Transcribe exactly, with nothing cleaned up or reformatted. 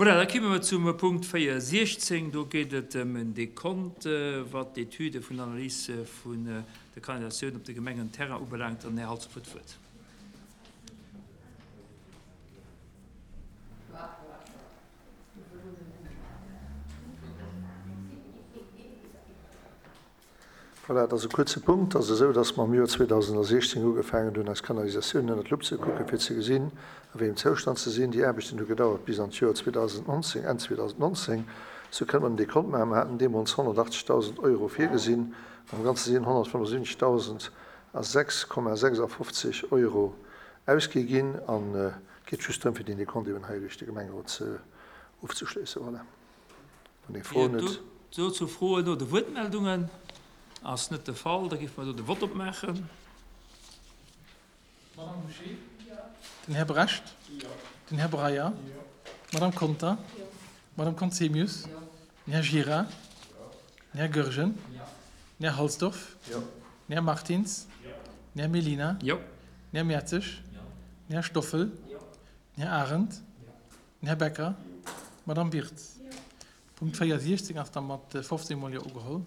Voilà, da komme mer zum Punkt véier siechzéng. Do geet et ëm en Dekont, wat d'Etüde vun der Analys vun der Kanalisatioun op de Gemengenterrain ubelaangt. An den Här Halsdorf huet d'Wuert. Voilà, et ass e kuerze Punkt. Et ass esou, dass mer am Joer zweedausendsechzéng ugefaangen hunn, eis Kanalisatiounen ënnert d'Lupp ze kucken, fir ze gesinn, a wéi engem Zoustand se sinn. Déi Aarbechten hu gedauert bis an d'Joer zweedausendnonzéng, Enn zweedausendnonzéng. Sou kënne mer den Dekont maachen. Mer haten deemools honnertachtzegdausend Euro virgesinn. Am Ganze sinn honnertfënnefundsiwwenzegdausend a sechs Komma sechsafofzeg Euro ausgi ginn. An et geet just drëm, fir deen Dekont eben hei duerch de Gemengerot ze ofzeschléissen. Voilà. Wann ee Froen huet. Dozou Froen oder Wuertmeldungen? Ass net de Fall. Da géife mer do de Vott opmaachen. D'Madame Bouché? Den Här Brecht? Den Här Breyer? D'Madame Conter? D'Madame Conzemius? Den Här Gira? Den Här Goergen? Den Här Halsdorf? Den Här Martins? Den Här Mellina? Den Här Mertzig? Den Här Stoffel? Den Här Arendt? Den Här Becker? D'Madame Wirtz? Punkt véier siechzéng ass da mat fofzéng mol Jo ugeholl.